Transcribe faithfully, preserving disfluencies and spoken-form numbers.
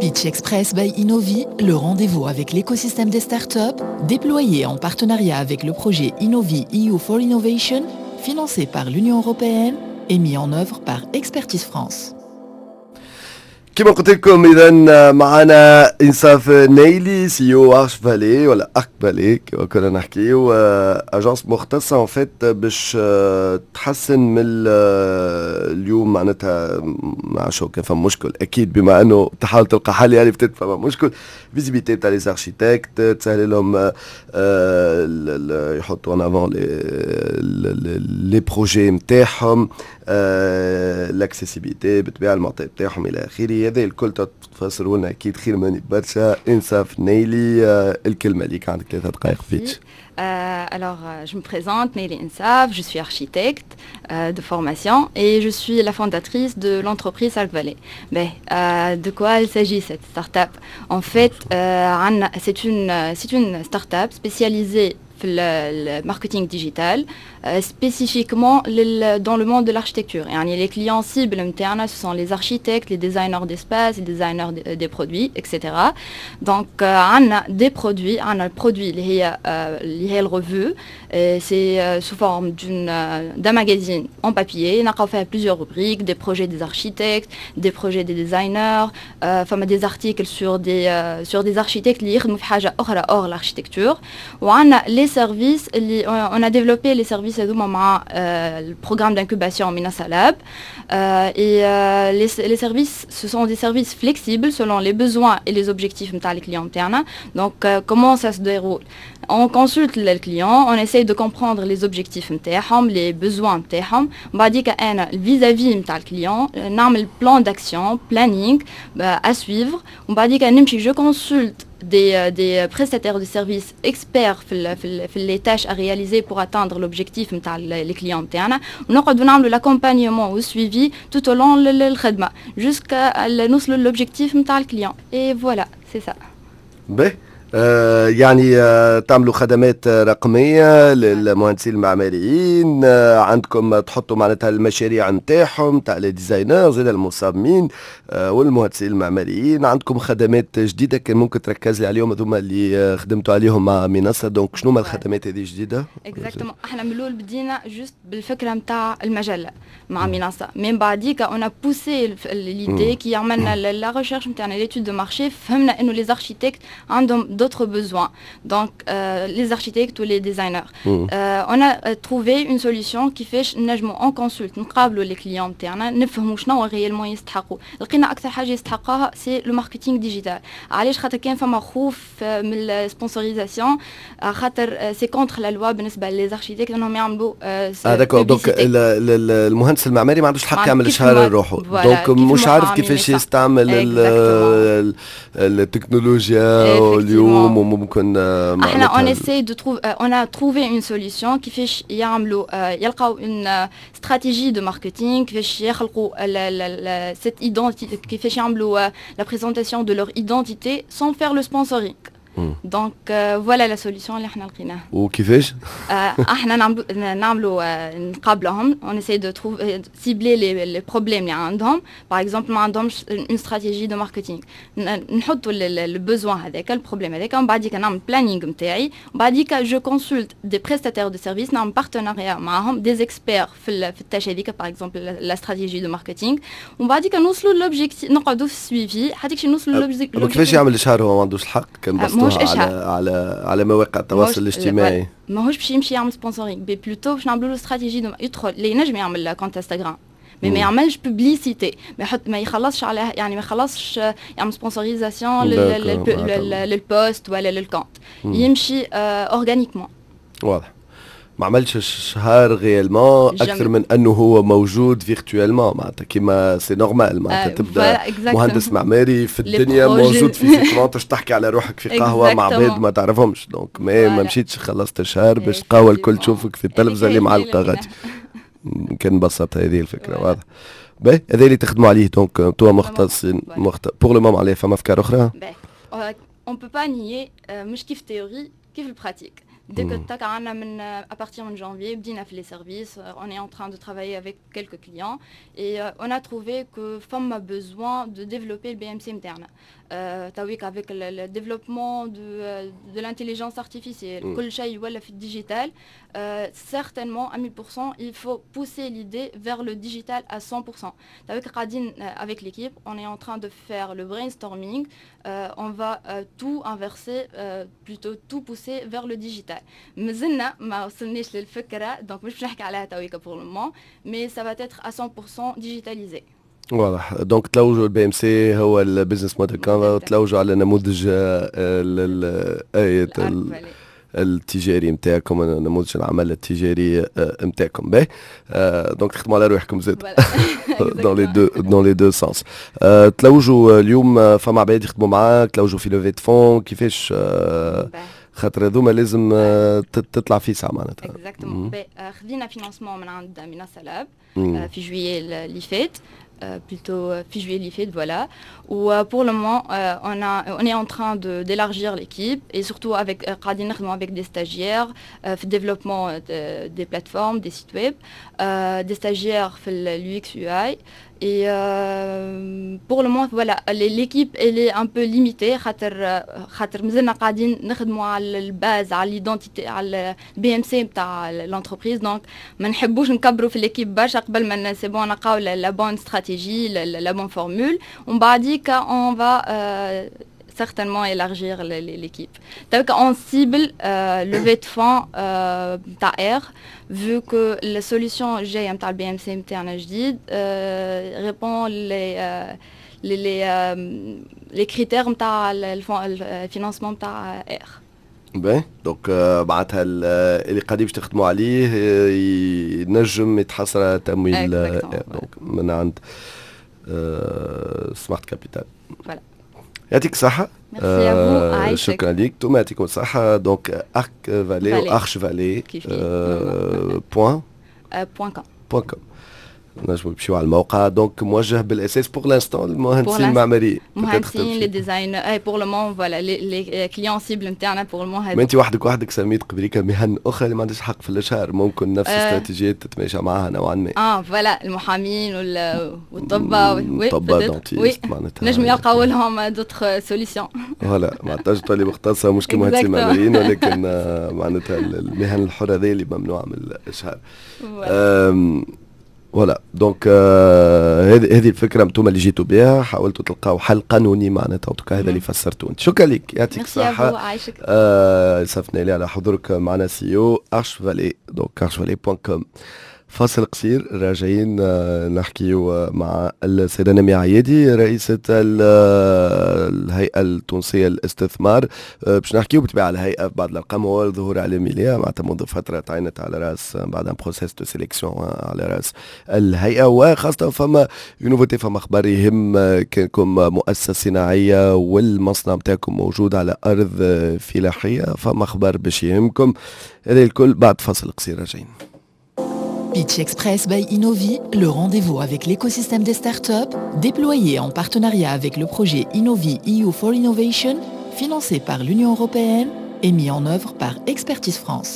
Pitch Express by Innovi, le rendez-vous avec l'écosystème des startups, déployé en partenariat avec le projet Innovi E U for Innovation, financé par l'Union européenne et mis en œuvre par Expertise France. كما قلت لكم، اذا معنا انصاف نايلي، C E O Arch Valley ولا Arc Valley كما كنا نحكيو، agence مختصة en fait باش تحسن من اليوم معناتها مع شو كان فما مشكل، اكيد بما انه تحاول تلقى حل يعني peut-être فما مشكل visibilité تاع les architectes، تسهل لهم يحطوا en avant les projets نتاعهم، l'accessibilité بالطبيعه، المعطيات نتاعهم الى اخره. هذا الكل تفسروا لنا اكيد خير مني برشا. انصاف نايلي، الكلمة ليك، عندك ثلاثة دقائق فيتش. Euh, alors, euh, je me présente, Neili Insaf, je suis architecte euh, de formation et je suis la fondatrice de l'entreprise Arc Valley. Mais euh, de quoi il s'agit, cette start-up? En fait, euh, c'est une, c'est une start-up spécialisée le marketing digital, euh, spécifiquement dans le monde de l'architecture. يعني les clients cibles نتاعنا, ce sont les architectes, les designers d'espace, les designers des produits, et cetera. Donc, on a des produits, on a le produit اللي هي la revue, c'est sous forme d'un magazine en papier. On a fait plusieurs rubriques, des projets des architectes, des projets des designers, فما des articles sur des, sur des architectes اللي يخدموا في حاجة أخرى hors l'architecture. وعندنا les services اللي on a développé les services هذوما مع le programme d'incubation Menassa Lab et les, les services, ce sont des services flexibles selon les besoins et les objectifs نتاع les clients نتاعنا. Donc comment ça se déroule? On consulte le client, on essaye de comprendre les objectifs نتاعهم, les besoins نتاعهم. بعديك انا vis-à-vis نتاع ال client نعمل plan d'action, planning à suivre. ومن بعديك نمشي je consulte des, des prestataires de services experts في في في les tâches à réaliser pour atteindre l'objectif نتاع les clients نتاعنا، ونقعدوا نعملوا l'accompagnement و suivi tout au long الخدمة jusqu'à نوصلوا l'objectif نتاع ال client et voilà, c'est ça. باهي، آه، يعني آه، تعملوا خدمات رقمية للمهندسين المعماريين، آه، عندكم تحطوا معناتها المشاريع نتاعهم تاع les designers زاد المصممين والمهندسين المعماريين. عندكم خدمات جديده، كان ممكن تركز لي عليهم، هذوما اللي خدمتوا عليهم مع منصه. donc شنو هما الخدمات هذه الجديده؟ Exactement، احنا من الاول بدينا juste بالفكرة نتاع المجلة مع منصه، من بعديك on a poussé l'idée كي عملنا la recherche نتاعنا، l'étude de marché، فهمنا انه les architectes عندهم d'autres besoins. Donc, euh, les architectes ou les designers. Mmh. Euh, on a trouvé une solution كيفاش نجموا on consulte، نقابلوا les clients نتاعنا، نفهموا شنو réellement يستحقوا. لقينا اكثر حاجة يستحقوها c'est le marketing digital. علاش؟ خاطر كان فما خوف من ال sponsorisation، خاطر c'est contre la loi بالنسبة les architectes انهم يعملوا. اه d'accord، donc المهندس المعماري ما عندوش الحق يعمل اشهار لروحه، donc مش عارف كيفاش يستعمل التكنولوجيا اليوم وممكن احنا on essaie de trouver on a trouvé une solution كيفاش يعملوا، يلقاو une stratégie de marketing، كيفاش يخلقوا cette identité، كيفاش يعملوا la présentation de leur identité sans faire le sponsoring. donc voilà la solution اللي احنا لقيناها. وكيفاش؟ احنا نعملوا نعملوا نقابلهم، on essaie de trouver cibler les les problèmes اللي عندهم. par exemple ما عندهمش une stratégie de marketing، نحطوا le besoin هذاك، ال problème هذاك، ومن بعديك نعمل planning نتاعي، ومن بعديك je consulte des prestataires de services، نعمل partenariat معاهم، des experts في في ال tâche هذيك، par exemple la stratégie de marketing، ومن بعديك نوصلوا l'objectif، نقعدوا في ال suivi حتى نوصلوا l'objectif. كيفاش يعمل اشهار هو ما عندوش الحق كان بسطوها على على على مواقع التواصل الاجتماعي؟ ماهوش باش يمشي يعمل sponsoring، mais plutôt باش نعملوا له استراتيجي. يدخل اللي ينجم يعمل compte انستغرام mais ما يعملش publicité، ما يحط، ما يخلصش عليها، يعني ما يخلصش يعمل sponsorisation لل post ولا لل compte، يمشي organiquement. واضح، ما عملش اشهار réellement اكثر من انه هو موجود virtuellement، معناتها كيما c'est normal، معناتها تبدا مهندس معماري في الدنيا موجود physiquement، تحكي على روحك في قهوة مع عباد ما تعرفهمش، donc ما, ما مشيتش خلصت اشهار باش القهوة الكل تشوفك في التلفزة اللي معلقه غادي. كان بسط هذه الفكره، واضح. باهي، هذا اللي تخدموا عليه donc انتوما مختصين مخت... pour le moment عليه. فما افكار اخرى؟ On peut pas nier، مش كيف théorie كيف ال pratique. Dès que تاك عندنا من à partir de janvier بدينا في les services, on est en train de travailler avec quelques clients et on a trouvé que فما besoin de développer le B M C نتاعنا. تويك avec le développement de, de l'intelligence artificielle, كل شيء ولا في ال digital, certainement à mille pour cent il faut pousser l'idée vers le digital à cent pour cent. تويك قاعدين avec l'équipe, on est en train de faire le brainstorming, on va tout inverser, plutôt tout pousser vers le digital. مازلنا ما وصلناش للفكره, donc مش باش نحكي عليها تويكا pour le moment, mais ça va être à cent pour cent digitalisé. واضح, donc تلوجوا ال B M C هو ال business model canvas, تلوجوا على نموذج التجاري نتاعكم, نموذج العمل التجاري نتاعكم. باهي, donc تخدموا على روحكم زاد dans les deux dans les deux sens. تلوجوا اليوم, فما عباد يخدموا معاك, تلوجوا في levée de fonds, كيفاش؟ خاطر هذوما لازم تطلع في ساعة معناتها. Exactement. خذينا financement من عند منصة لاب في juillet اللي فات, plutôt في juillet اللي فات, voilà. و pour le moment on a on est en train de d'élargir l'équipe et surtout avec قاعدين نخدموا avec des stagiaires في développement des plateformes, des sites web, des stagiaires في l'U X U I. Et euh, pour le moment, voilà, l'équipe elle est un peu limitée خاطر خاطر مازلنا قاعدين نخدموا على ال base, على l'identité, على ال B M C نتاع l'entreprise, donc ما نحبوش نكبروا في l'équipe برشا قبل ما c'est bon نلقاو la bonne stratégie, la bonne formule, ومن بعديك on va certainement élargir l'équipe. Donc on cible euh, levée de fonds euh, تاع R, vu que la solution الجاية نتاع ال B M C نتاعنا جديد répond les les les, les critères نتاع ال financement نتاع R. باهي, donc معناتها اللي قاعدين باش تخدموا عليه ينجم يتحصل على تمويل donc من عند Smart Capital. Voilà. يعطيك الصحة. آه شكرا لك, انتم يعطيكم الصحة. donc Arc Vallée و Arch Vallée point point com. Point com, نجموا نمشيو على الموقع. Donc موجه بالاساس pour l'instant المهندسين المعماريين. مهندسين, les designers, et pour le moment, voilà, les clients cibles نتاعنا pour le moment. ما انت وحدك وحدك سميت قبليك مهن اخرى اللي ما عندهاش حق في الاشهار, ممكن نفس الاستراتيجيات تتماشى معها نوعا ما. اه voilà, المحامين والطباء. Oui, الطباء, dentistes. معناتها نجم يلقاو لهم d'autres solutions. Voilà, معناتها تولي مختصة مش كمهندسين معماريين, ولكن معناتها المهن الحرة هذه اللي ممنوعة من الاشهار. Voilà, donc هذه هذه الفكرة انتم اللي جيتوا بها, حاولتوا تلقاو حل قانوني معناتها, en tout cas هذا اللي فسرته انت. شكرا لك, يعطيك الصحه. آه سفنا لي على حضورك معنا, C E O Arch Vallée, donc archvallée point com. فاصل قصير, راجعين آه، نحكيو مع السيدة نمية عيادي, رئيسة الهيئة التونسية للاستثمار، آه، باش نحكيو بالطبيعة على الهيئة, بعض الأرقام هو ظهور إعلامي ليها معناتها منذ فترة تعينت على رأس بعد un processus de sélection على رأس الهيئة, وخاصة فما nouveauté, فما أخبار يهم كانكم مؤسسة صناعية والمصنع نتاعكم موجود على أرض فلاحية, فما أخبار باش يهمكم. هذا الكل بعد فاصل قصير, راجعين. Pitch Express by Innovi, le rendez-vous avec l'écosystème des startups, déployé en partenariat avec le projet Innovi E U for Innovation, financé par l'Union européenne et mis en œuvre par Expertise France.